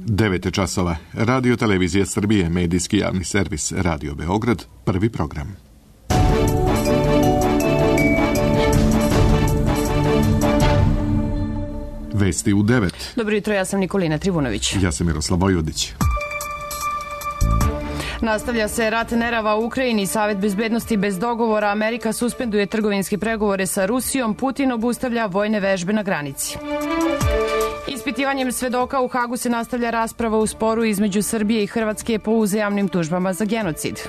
9 časova. Radio Televizija Srbije, medijski javni servis Radio Beograd, prvi program. Vesti u 9. Dobro jutro, ja sam Nikolina Trivunović. Ja sam Miroslav Vojudić. Nastavlja se rat nerava u Ukrajini. Savet bezbednosti bez dogovora. Amerika suspenduje trgovinske pregovore sa Rusijom. Putin obustavlja vojne vežbe na granici. Ispitivanjem svedoka u Hagu se nastavlja rasprava u sporu između Srbije i Hrvatske po uzajamnim tužbama za genocid.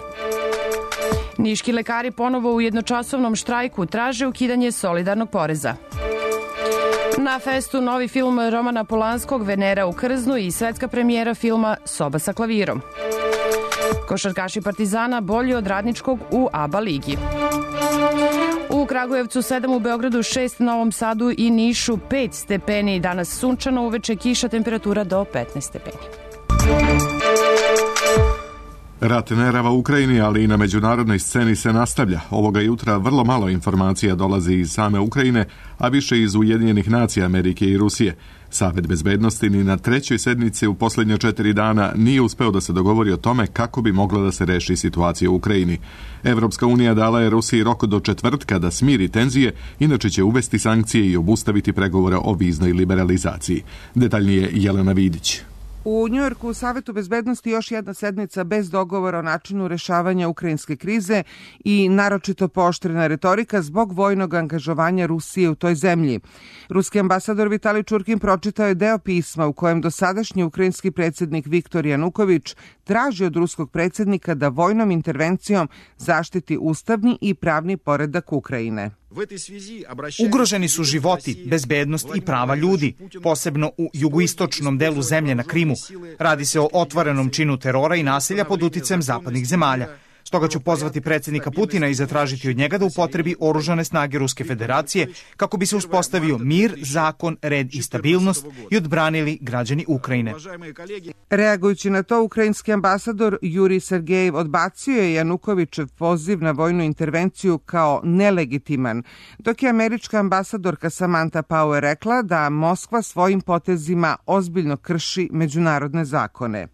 Niški lekari ponovo u jednočasovnom štrajku traže ukidanje solidarnog poreza. Na festu novi film Romana Polanskog Venera u Krznu i svetska premijera filma Soba sa klavirom. Košarkaši Partizana bolji od Radničkog u ABA ligi. U Kragujevcu 7, u Beogradu 6, Novom Sadu i Nišu 5 stepeni. Danas sunčano, uveče kiša, temperatura do 15 stepeni. Rat nerava u Ukrajini, ali i na međunarodnoj sceni se nastavlja. Ovoga jutra vrlo malo informacija dolazi iz same Ukrajine, a više iz Ujedinjenih nacija Amerike i Rusije. Savet bezbednosti ni na trećoj sednici u posljednje 4 dana nije uspeo da se dogovori o tome kako bi mogla da se reši situacija u Ukrajini. Evropska unija dala je Rusiji rok do četvrtka da smiri tenzije, inače će uvesti sankcije i obustaviti pregovore o viznoj liberalizaciji. Detaljnije Jelena Vidić. U Njujorku u Savetu bezbednosti još jedna sednica bez dogovora o načinu rešavanja ukrajinske krize i naročito pooštrena retorika zbog vojnog angažovanja Rusije u toj zemlji. Ruski ambasador Vitalij Čurkin pročitao je deo pisma u kojem dosadašnji ukrajinski predsjednik Viktor Januković traži od ruskog predsjednika da vojnom intervencijom zaštiti ustavni i pravni poredak Ukrajine. Ugroženi su životi, bezbednost i prava ljudi, posebno u jugoistočnom delu zemlje na Krimu. Radi se o otvorenom činu terora i nasilja pod uticajem zapadnih zemalja. Stoga ću pozvati predsjednika Putina i zatražiti od njega da upotrebi oružane snage Ruske federacije kako bi se uspostavio mir, zakon, red i stabilnost i odbranili građani Ukrajine. Reagujući na to, ukrajinski ambasador Jurij Sergejev odbacio je Janukovićev poziv na vojnu intervenciju kao nelegitiman, dok je američka ambasadorka Samantha Power rekla da Moskva svojim potezima ozbiljno krši međunarodne zakone.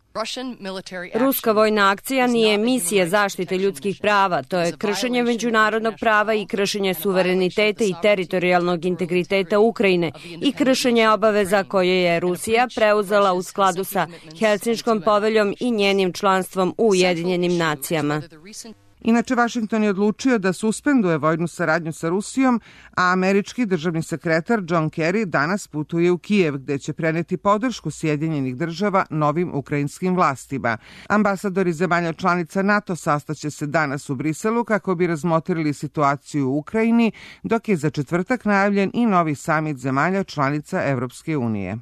Ruska vojna akcija nije misija zaštite ljudskih prava, to je kršenje međunarodnog prava i kršenje suvereniteta i teritorijalnog integriteta Ukrajine i kršenje obaveza koje je Rusija preuzela u skladu sa Helsinškom poveljom i njenim članstvom u Ujedinjenim nacijama. Inače, Vašington je odlučio da suspenduje vojnu saradnju sa Rusijom, a američki državni sekretar John Kerry danas putuje u Kijev, gde će preneti podršku Sjedinjenih država novim ukrajinskim vlastima. Ambasadori zemalja članica NATO sastaće se danas u Briselu kako bi razmotrili situaciju u Ukrajini, dok je za četvrtak najavljen i novi samit zemalja članica Evropske unije.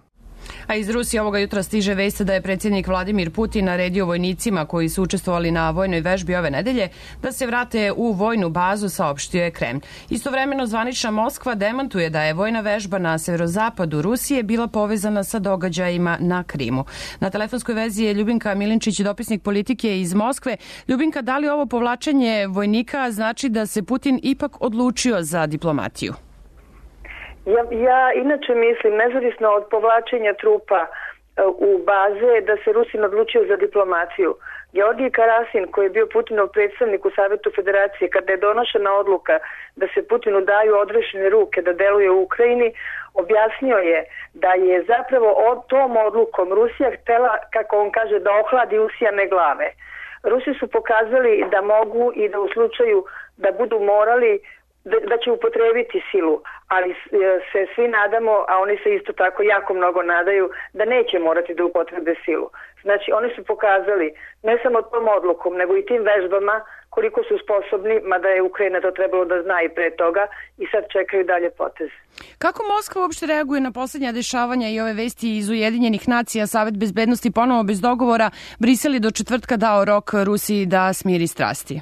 A iz Rusije ovoga jutra stiže vest da je predsjednik Vladimir Putin naredio vojnicima koji su učestvovali na vojnoj vežbi ove nedelje da se vrate u vojnu bazu, saopštio je Kremlj. Istovremeno zvanična Moskva demantuje da je vojna vežba na severozapadu Rusije bila povezana sa događajima na Krimu. Na telefonskoj vezi je Ljubinka Milinčić, dopisnik Politike iz Moskve. Ljubinka, da li ovo povlačenje vojnika znači da se Putin ipak odlučio za diplomatiju? Ja inače mislim, nezavisno od povlačenja trupa u baze, da se Rusin odlučio za diplomaciju. Georgij Karasin, koji je bio Putinov predstavnik u Savetu Federacije, kada je donošena odluka da se Putinu daju odrešene ruke da deluje u Ukrajini, objasnio je da je zapravo tom odlukom Rusija htela, kako on kaže, da ohladi usijane glave. Rusi su pokazali da mogu i da u slučaju da budu morali da će upotrebiti silu, ali se svi nadamo, a oni se isto tako jako mnogo nadaju, da neće morati da upotrebe silu. Znači, oni su pokazali ne samo tom odlukom, nego i tim vežbama koliko su sposobni, mada je Ukrajina to trebalo da zna i pre toga, i sad čekaju dalje poteze. Kako Moskva uopšte reaguje na posljednja dešavanja i ove vesti iz Ujedinjenih nacija? Savet bezbednosti ponovo bez dogovora, Brisel je do četvrtka dao rok Rusiji da smiri strasti.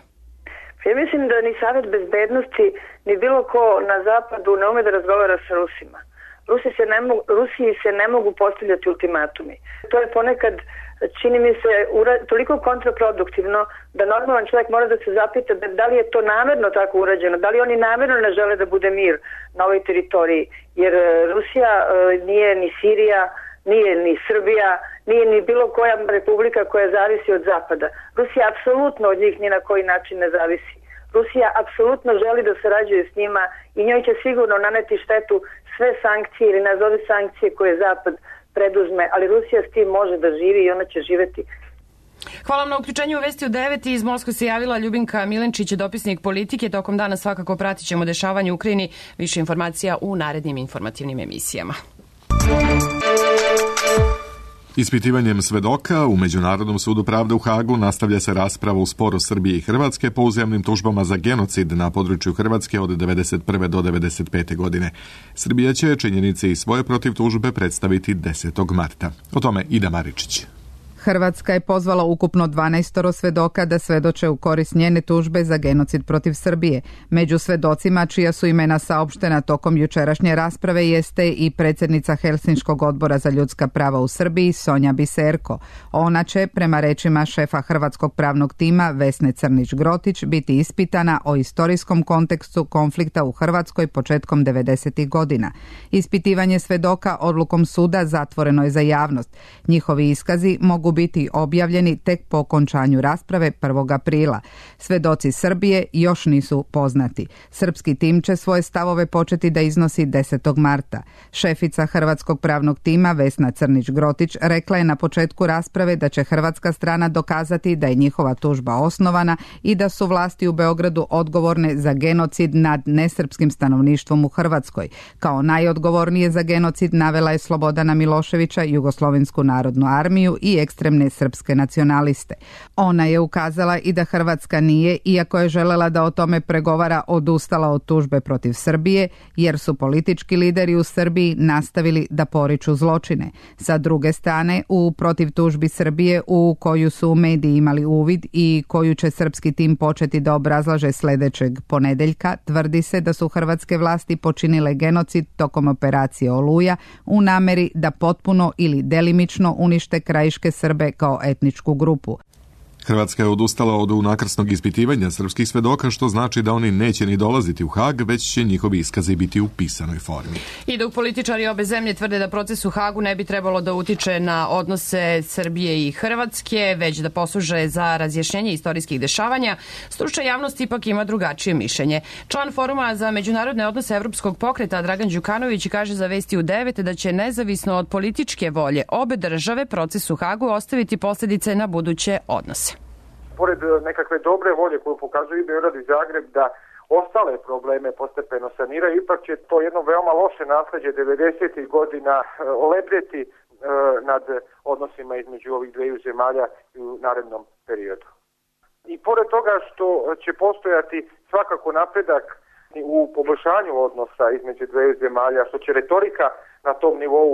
Ja mislim da ni Savet bezbednosti ni bilo ko na zapadu ne ume da razgovara sa Rusima. Rusiji se ne mogu postavljati ultimatumi. To je ponekad, čini mi se, toliko kontraproduktivno da normalan čovjek mora da se zapita da li je to namerno tako urađeno, da li oni namerno ne žele da bude mir na ovoj teritoriji. Jer Rusija nije ni Sirija, nije ni Srbija, nije ni bilo koja republika koja zavisi od Zapada. Rusija apsolutno od njih ni na koji način ne zavisi. Rusija apsolutno želi da sarađuje s njima i njoj će sigurno naneti štetu sve sankcije ili nazovi sankcije koje Zapad preduzme, ali Rusija s tim može da živi i ona će živeti. Hvala vam na uključenju u Vesti u 9. Iz Moskve se javila Ljubinka Milenčić, dopisnik Politike. Tokom dana svakako pratit ćemo dešavanje u Ukrajini. Više informacija u narednim informativnim emisijama. Ispitivanjem svedoka u Međunarodnom sudu pravde u Hagu nastavlja se rasprava u sporu Srbije i Hrvatske po uzajamnim tužbama za genocid na području Hrvatske od 1991. do 1995. godine. Srbija će činjenice i svoje protiv tužbe predstaviti 10. marta. O tome Ida Maričić. Hrvatska je pozvala ukupno 12 svedoka da svedoče u korist njene tužbe za genocid protiv Srbije. Među svedocima čija su imena saopštena tokom jučerašnje rasprave jeste i predsjednica Helsinškog odbora za ljudska prava u Srbiji Sonja Biserko. Ona će, prema rečima šefa Hrvatskog pravnog tima Vesne Crnić-Grotić, biti ispitana o istorijskom kontekstu konflikta u Hrvatskoj početkom 90. godina. Ispitivanje svedoka odlukom suda zatvoreno je za javnost. Njihovi iskazi mogu biti objavljeni tek po okončanju rasprave 1. aprila. Svedoci Srbije još nisu poznati. Srpski tim će svoje stavove početi da iznosi 10. marta. Šefica Hrvatskog pravnog tima Vesna Crnić-Grotić rekla je na početku rasprave da će hrvatska strana dokazati da je njihova tužba osnovana i da su vlasti u Beogradu odgovorne za genocid nad nesrpskim stanovništvom u Hrvatskoj. Kao najodgovornije za genocid navela je Slobodana Miloševića, Jugoslovensku narodnu armiju i ekstremne srpske nacionaliste. Ona je ukazala i da Hrvatska nije, iako je želela da o tome pregovara, odustala od tužbe protiv Srbije, jer su politički lideri u Srbiji nastavili da poriču zločine. Sa druge strane, u protiv tužbi Srbije, u koju su mediji imali uvid i koju će srpski tim početi da obrazlaže sljedećeg ponedeljka, tvrdi se da su hrvatske vlasti počinile genocid tokom operacije Oluja u nameri da potpuno ili delimično unište krajiške Srbe kao etničku grupu. Hrvatska je odustala od unakrsnog ispitivanja srpskih svedoka, što znači da oni neće ni dolaziti u Hag, već će njihovi iskazi biti u pisanoj formi. I dok političari obe zemlje tvrde da proces u Hagu ne bi trebalo da utiče na odnose Srbije i Hrvatske, već da posluže za razjašnjenje istorijskih dešavanja, stručna javnost ipak ima drugačije mišljenje. Član Foruma za međunarodne odnose Evropskog pokreta Dragan Đukanović kaže za Vesti u 9 da će nezavisno od političke volje obe države proces u Hagu ostaviti posljedice na buduće odnose. Pored nekakve dobre volje koju pokazuju i Beograd i Zagreb da ostale probleme postepeno saniraju, ipak će to jedno veoma loše nasljeđe 90. godina olepljeti nad odnosima između ovih dveju zemalja u narednom periodu. I pored toga što će postojati svakako napredak u poboljšanju odnosa između dveju zemalja, što će retorika na tom nivou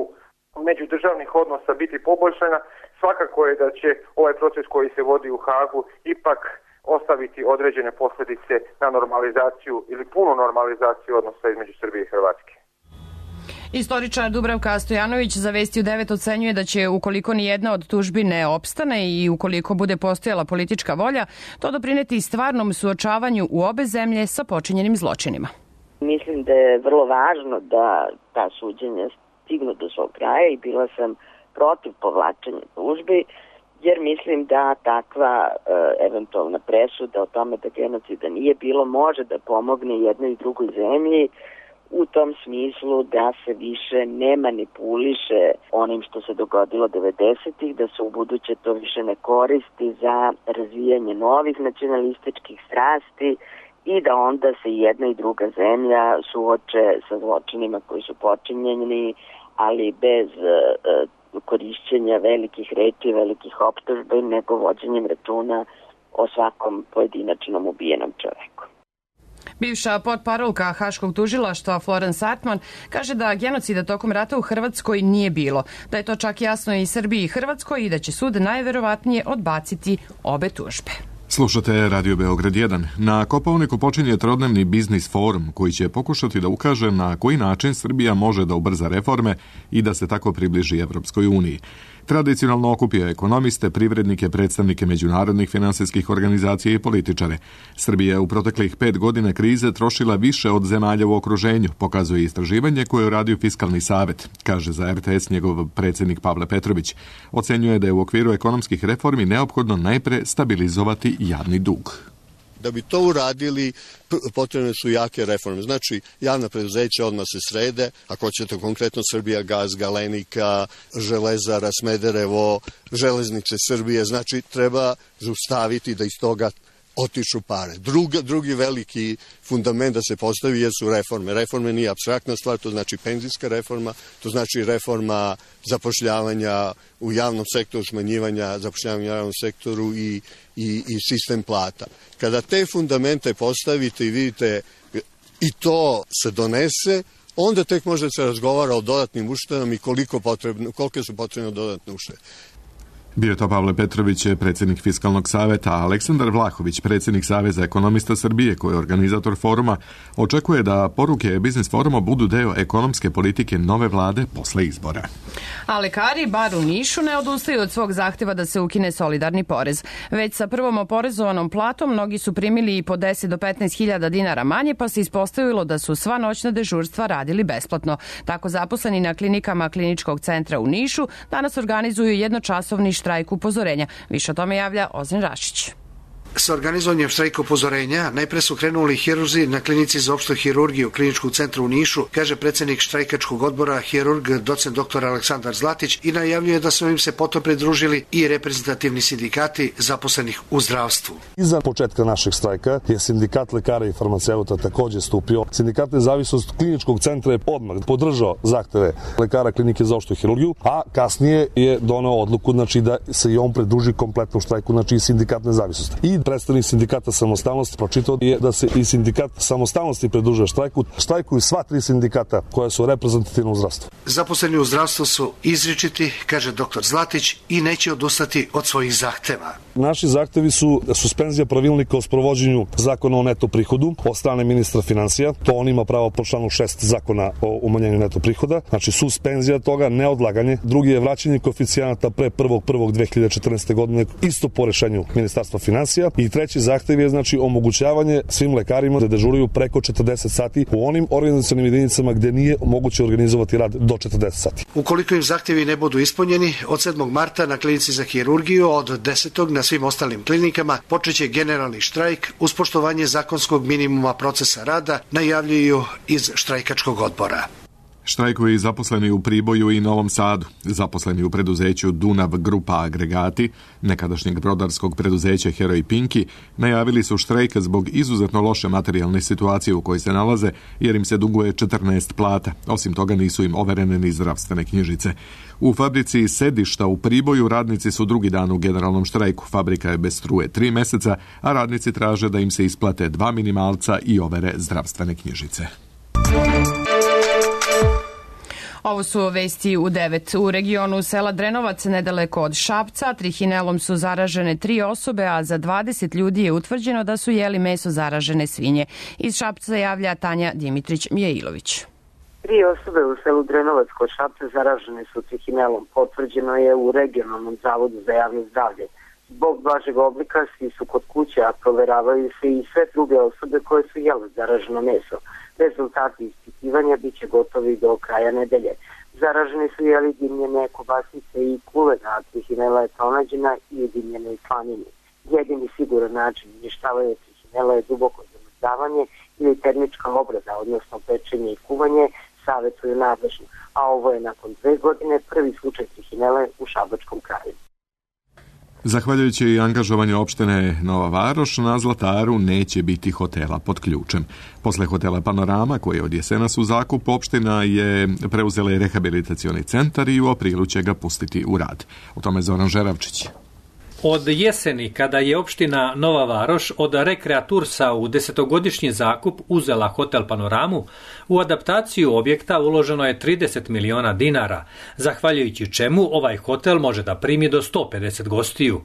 međudržavnih odnosa biti poboljšana, svakako je da će ovaj proces koji se vodi u Hagu ipak ostaviti određene posljedice na normalizaciju ili punu normalizaciju odnosa između Srbije i Hrvatske. Istoričar Dubravka Stojanović za Vesti u 9 ocenjuje da će, ukoliko ni jedna od tužbi ne opstane i ukoliko bude postojala politička volja, to doprineti stvarnom suočavanju u obe zemlje sa počinjenim zločinima. Mislim da je vrlo važno da ta suđenja stignu do svog kraja i bila sam protiv povlačenja tužbi, jer mislim da takva eventualna presuda o tome da genocida nije bilo može da pomogne jednoj i drugoj zemlji u tom smislu da se više ne manipuliše onim što se dogodilo 90-ih, da se u buduće to više ne koristi za razvijanje novih nacionalističkih strasti i da onda se jedna i druga zemlja suoče sa zločinima koji su počinjeni, ali bez korišćenja velikih reči, velikih optužbi, nego vođenjem računa o svakom pojedinačnom ubijenom čoveku. Bivša potparolka Haškog tužilaštva Florence Hartman kaže da genocida tokom rata u Hrvatskoj nije bilo, da je to čak jasno i Srbiji i Hrvatskoj i da će sud najverovatnije odbaciti obe tužbe. Slušate Radio Beograd 1. Na Kopaoniku počinje trodnevni biznis forum koji će pokušati da ukaže na koji način Srbija može da ubrza reforme i da se tako približi Evropskoj uniji. Tradicionalno okupio ekonomiste, privrednike, predstavnike međunarodnih finansijskih organizacija i političare. Srbija je u proteklih 5 godina krize trošila više od zemalja u okruženju, pokazuje istraživanje koje je uradio Fiskalni savet, kaže za RTS njegov predsjednik Pavle Petrović. Ocenjuje da je u okviru ekonomskih reformi neophodno najpre stabilizovati javni dug. Da bi to uradili, potrebne su jake reforme. Znači, javna preduzeća odmah se srede, ako hoćete konkretno Srbijagas, Galenika, Železara, Smederevo, Železnice Srbije, znači treba zaustaviti da iz toga otiču pare. Drugi veliki fundament da se postavi jesu reforme. Reforme nije apstraktna stvar, to znači penzijska reforma, to znači reforma zapošljavanja u javnom sektoru, smanjivanja zapošljavanja u javnom sektoru i sistem plata. Kada te fundamente postavite i vidite i to se donese, onda tek može da se razgovara o dodatnim uštedama i kolike su potrebne dodatne uštede. Bio je to Pavle Petrović, predsjednik Fiskalnog saveta, a Aleksandar Vlahović, predsjednik Saveza ekonomista Srbije, koji je organizator foruma, očekuje da poruke Biznis foruma budu deo ekonomske politike nove vlade posle izbora. A lekari, bar u Nišu, ne odustaju od svog zahteva da se ukine solidarni porez. Već sa prvom oporezovanom platom mnogi su primili i po 10 do 15 hiljada dinara manje, pa se ispostavilo da su sva noćna dežurstva radili besplatno. Tako zaposleni na klinikama Kliničkog centra u Nišu danas organizuju jednočasovni štrajk upozorenja. Više o tome javlja Ozren Rašić. Sa organizovanjem štrajka upozorenja najpre su krenuli hirurzi na klinici za opštu hirurgiju Kliničkog centra u Nišu, kaže predsjednik štrajkačkog odbora, hirurg docent dr. Aleksandar Zlatić, i najavljuje da su im se potom pridružili i reprezentativni sindikati zaposlenih u zdravstvu. Iza početka našeg štrajka je sindikat lekara i farmaceuta također stupio. Sindikat Nezavisnost Kliničkog centra je odmah podržao zahteve lekara klinike za opštu hirurgiju, a kasnije je doneo odluku da se i on pridruži kompletnom štrajku, znači i sindikat Nezavisnosti. I predstavnik sindikata Samostalnosti pročitao je da se i sindikat Samostalnosti pridružuje štrajku. Štrajkuju sva 3 sindikata koja su reprezentativna u zdravstvu. Zaposleni u zdravstvu su izričiti, kaže dr. Zlatić, i neće odustati od svojih zahteva. Naši zahtevi su suspenzija pravilnika o sprovođenju zakona o neto prihodu od strane ministra financija. To on ima pravo po članu 6 zakona o umanjenju neto prihoda. Znači suspenzija toga, neodlaganje. Drugi je vraćanje koeficijenata pre 1.1.2014. godine, isto po rešenju ministarstva financija. I treći zahtev je omogućavanje svim lekarima da dežuraju preko 40 sati u onim organizacionim jedinicama gde nije moguće organizovati rad do 40 sati. Ukoliko im zahtevi ne budu ispunjeni, od 7. marta na klinici za hirurgiju, od 10. na svim ostalim klinikama počeće generalni štrajk uz poštovanje zakonskog minimuma procesa rada, najavljuju iz štrajkačkog odbora. Štrajkuju i zaposleni u Priboju i Novom Sadu. Zaposleni u preduzeću Dunav Grupa Agregati, nekadašnjeg brodarskog preduzeća Heroj Pinki, najavili su štrajk zbog izuzetno loše materijalne situacije u kojoj se nalaze, jer im se duguje 14 plata. Osim toga nisu im overene ni zdravstvene knjižice. U fabrici Sedišta u Priboju radnici su drugi dan u generalnom štrajku. Fabrika je bez struje 3 meseca, a radnici traže da im se isplate 2 minimalca i overe zdravstvene knjižice. Ovo su vesti u 9. U regionu sela Drenovac, nedaleko od Šapca, trihinelom su zaražene 3 osobe, a za 20 ljudi je utvrđeno da su jeli meso zaražene svinje. Iz Šapca javlja Tanja Dimitrić-Mijailović. 3 osobe u selu Drenovac kod Šapca zaražene su trihinelom. Potvrđeno je u regionalnom zavodu za javno zdravlje. Zbog blažeg oblika svi su kod kuće, a proveravaju se i sve druge osobe koje su jele zaraženo meso. Rezultati ispitivanja bit će gotovi do kraja nedelje. Zaraženi su jeli dimljene kobasice i kulena, a trihinela je pronađena i u dimljenoj slanini. Jedini siguran način uništavanja trihinela je duboko zamrzavanje ili termička obrada, odnosno pečenje i kuvanje, savjetuju nadležni. A ovo je nakon 2 godine prvi slučaj trihinele u Šabačkom kraju. Zahvaljujući angažovanju opštine Nova Varoš, na Zlataru neće biti hotela pod ključem. Posle hotela Panorama, koji je od jesenas u zakup, opština je preuzela i rehabilitacioni centar i u aprilu će ga pustiti u rad. O tome Zoran Žeravčić. Od jeseni, kada je opština Nova Varoš od Rekreatursa u 10-godišnji zakup uzela hotel Panoramu, u adaptaciju objekta uloženo je 30 miliona dinara, zahvaljujući čemu ovaj hotel može da primi do 150 gostiju.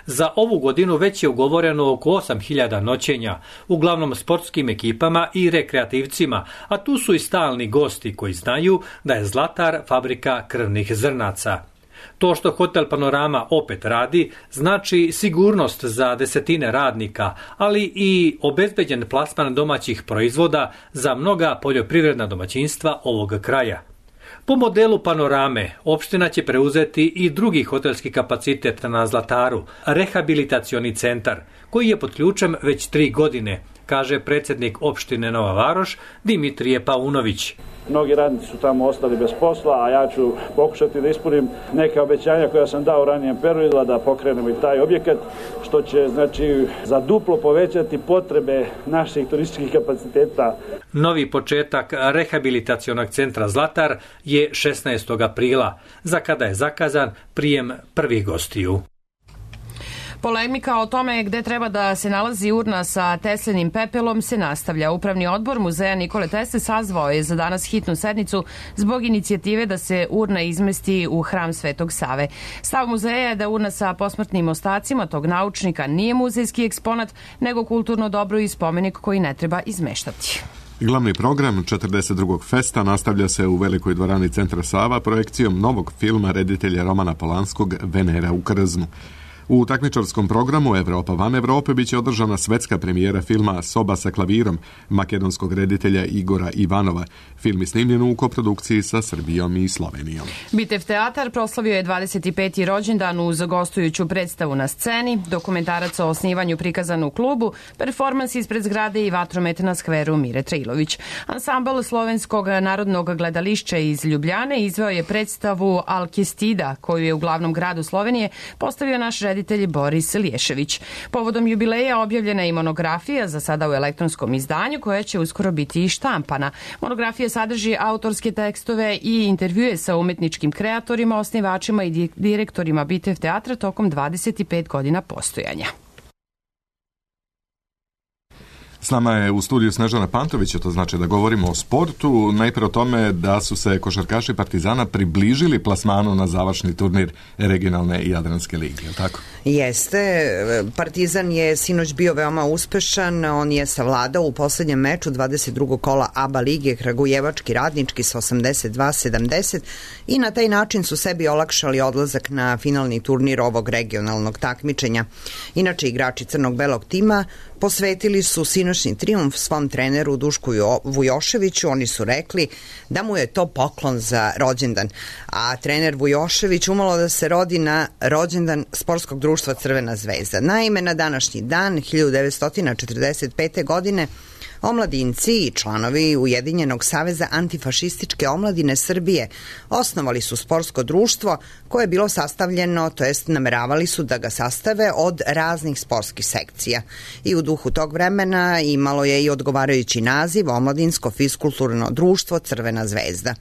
Za ovu godinu već je ugovoreno oko 8.000 noćenja, uglavnom sportskim ekipama i rekreativcima, a tu su i stalni gosti koji znaju da je Zlatar fabrika krvnih zrnaca. To što Hotel Panorama opet radi znači sigurnost za desetine radnika, ali i obezbeđen plasman domaćih proizvoda za mnoga poljoprivredna domaćinstva ovog kraja. Po modelu Panorame, opština će preuzeti i drugi hotelski kapacitet na Zlataru, rehabilitacioni centar, koji je pod ključem već 3 godine, kaže predsjednik opštine Nova Varoš Dimitrije Paunović. Mnogi radnici su tamo ostali bez posla, a ja ću pokušati da ispunim neke obećanja koja sam dao u ranijem periodu, da pokrenemo i taj objekat, što će za duplo povećati potrebe naših turističkih kapaciteta. Novi početak rehabilitacionog centra Zlatar je 16. aprila, za kada je zakazan prijem prvih gostiju. Polemika o tome gde treba da se nalazi urna sa Teslinim pepelom se nastavlja. Upravni odbor Muzeja Nikole Tesle sazvao je za danas hitnu sednicu zbog inicijative da se urna izmesti u hram Svetog Save. Stav muzeja je da urna sa posmrtnim ostacima tog naučnika nije muzejski eksponat, nego kulturno dobro i spomenik koji ne treba izmeštati. Glavni program 42. festa nastavlja se u Velikoj dvorani Centra Sava projekcijom novog filma reditelja Romana Polanskog Venera u Krznu. U takmičarskom programu Evropa van Evrope biće održana svetska premijera filma Soba sa klavirom makedonskog reditelja Igora Ivanova. Film je snimljen u koprodukciji sa Srbijom i Slovenijom. Bitev teatar proslavio je 25. rođendan uz gostujuću predstavu na sceni, dokumentarac o osnivanju prikazan u klubu, performans ispred zgrade i vatromet na skveru Mire Trilović. Ansambl Slovenskog narodnog gledališća iz Ljubljane izveo je predstavu Alkestida, koju je u glavnom gradu Slovenije postavio naš reditelj Boris Liješević. Povodom jubileja objavljena je i monografija, za sada u elektronskom izdanju, koja će uskoro biti i štampana. Monografija sadrži autorske tekstove i intervjue sa umetničkim kreatorima, osnivačima i direktorima Bitev teatra tokom 25 godina postojanja. S nama je u studiju Snežana Pantović, to znači da govorimo o sportu, najprije o tome da su se košarkaši Partizana približili plasmanu na završni turnir regionalne i Jadranske lige, je li tako? Jeste, Partizan je sinoć bio veoma uspešan, on je savladao u poslednjem meču 22. kola ABA lige Kragujevački Radnički sa 82-70 i na taj način su sebi olakšali odlazak na finalni turnir ovog regionalnog takmičenja. Inače, igrači crnog-belog tima posvetili su sinoćni trijumf svom treneru Dušku Vujoševiću. Oni su rekli da mu je to poklon za rođendan. A trener Vujošević umalo da se rodi na rođendan sportskog društva Crvena zvezda. Naime, na današnji dan 1945. godine omladinci i članovi Ujedinjenog saveza antifašističke omladine Srbije osnovali su sportsko društvo koje je bilo sastavljeno, to jest nameravali su da ga sastave od raznih sportskih sekcija. I u duhu tog vremena imalo je i odgovarajući naziv Omladinsko fiskulturno društvo Crvena zvezda.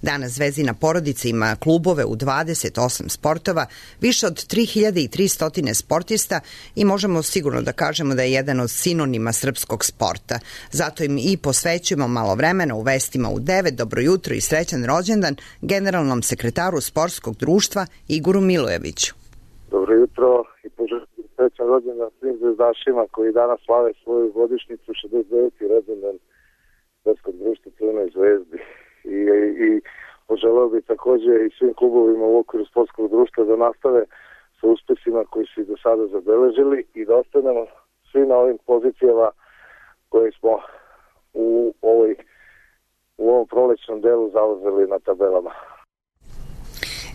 Danas Zvezdina porodica ima klubove u 28 sportova, više od 3300 sportista i možemo sigurno da kažemo da je jedan od sinonima srpskog sporta. Zato im i posvećujemo malo vremena u vestima u 9. Dobro jutro i srećan rođendan generalnom sekretaru sportskog društva Igoru Milojeviću. Dobro jutro i srećan rođendan svim zvezdašima koji danas slave svoju godišnjicu, 69. rođendan sportskog društva Crvenoj zvezdi. I poželeo bi također i svim klubovima u okviru sportskog društva da nastave sa uspesima koji su i do sada zabeležili i da ostanemo svi na ovim pozicijama koje smo u ovom prolećnom delu zauzeli na tabelama.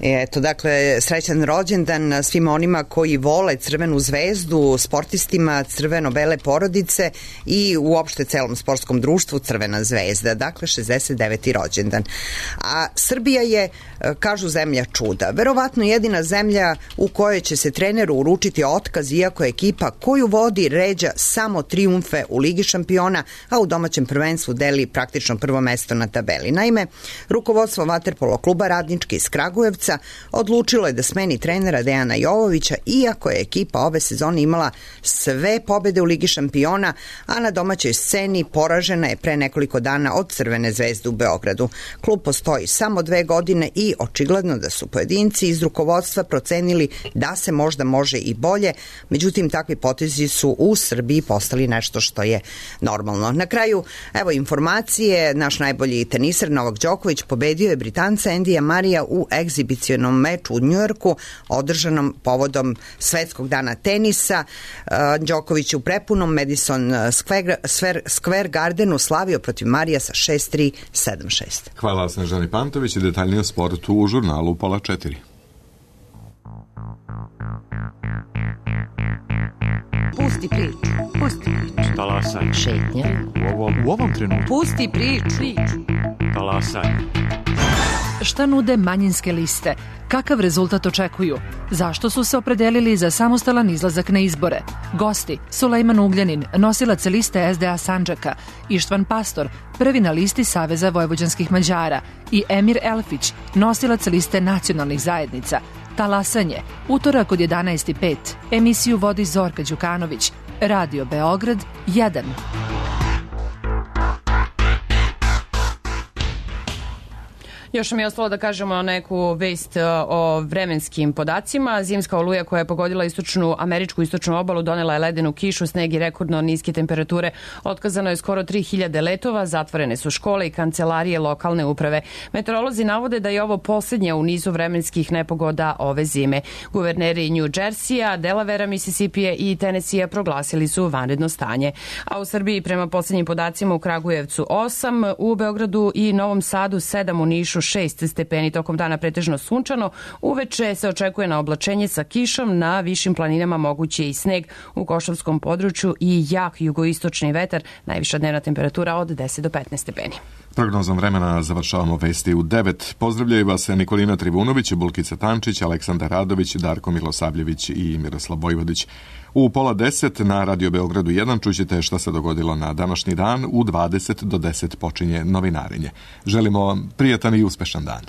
Eto, dakle, srećan rođendan svima onima koji vole Crvenu zvezdu, sportistima crveno-bele porodice i uopšte celom sportskom društvu Crvena zvezda. Dakle, 69. rođendan. A Srbija je, kažu, zemlja čuda. Verovatno jedina zemlja u kojoj će se treneru uručiti otkaz, iako je ekipa koju vodi ređa samo trijumfe u Ligi šampiona, a u domaćem prvenstvu deli praktično prvo mesto na tabeli. Naime, rukovodstvo vaterpolo kluba Radnički iz Kragujevca odlučilo je da smeni trenera Dejana Jovovića, iako je ekipa ove sezone imala sve pobede u Ligi šampiona, a na domaćoj sceni poražena je pre nekoliko dana od Crvene zvezde u Beogradu. Klub postoji samo 2 godine i očigledno da su pojedinci iz rukovodstva procenili da se možda može i bolje, međutim takvi potezi su u Srbiji postali nešto što je normalno. Na kraju, evo informacije, naš najbolji teniser Novak Đoković pobedio je Britanca Endija Marija u egzibicionom ekshibicionom meču u Njujorku, održanom povodom Svetskog dana tenisa. Đoković u prepunom Madison Square Gardenu slavio protiv Marija sa 6-3, 7-6. Hvala Snežani Pantović i detaljnije o sportu u žurnalu Pola 4. Pusti priču. Pusti priču. Talasaj. Šetnja. U ovom trenutku. Pusti priču. Talasaj. Šta nude manjinske liste? Kakav rezultat očekuju? Zašto su se opredelili za samostalan izlazak na izbore? Gosti: Sulejman Ugljanin, nosilac liste SDA Sandžaka, Ištvan Pastor, prvi na listi Saveza vojvođanskih Mađara, i Emir Elfić, nosilac liste nacionalnih zajednica. Talasanje, utorak od 11:05. Emisiju vodi Zorka Đukanović. Radio Beograd 1. Još mi je ostalo da kažemo neku vest o vremenskim podacima. Zimska oluja koja je pogodila američku istočnu obalu donela je ledenu kišu, sneg i rekordno niske temperature. Otkazano je skoro 3000 letova, zatvorene su škole i kancelarije lokalne uprave. Meteorolozi navode da je ovo posljednja u nizu vremenskih nepogoda ove zime. Guverneri New Jersey-a, Delavera, Mississippija i Tennessee proglasili su vanredno stanje. A u Srbiji prema posljednjim podacima u Kragujevcu 8, u Beogradu i Novom Sadu 7, u Nišu 6 stepeni, tokom dana pretežno sunčano. Uveče se očekuje na oblačenje sa kišom, na višim planinama moguće i sneg, u Košavskom području i jak jugoistočni vetar, najviša dnevna temperatura od 10 do 15 stepeni. Prognozom vremena završavamo vesti u 9. Pozdravljaju vas Nikolina Trivunović, Bulkica Tančić, Aleksandar Radović, Darko Milosavljević i Miroslav Vojvodić. U pola 10 na Radio Beogradu 1 čućete šta se dogodilo na današnji dan. U 20 do 10 počinje novinarenje. Želimo vam prijatan i uspešan dan.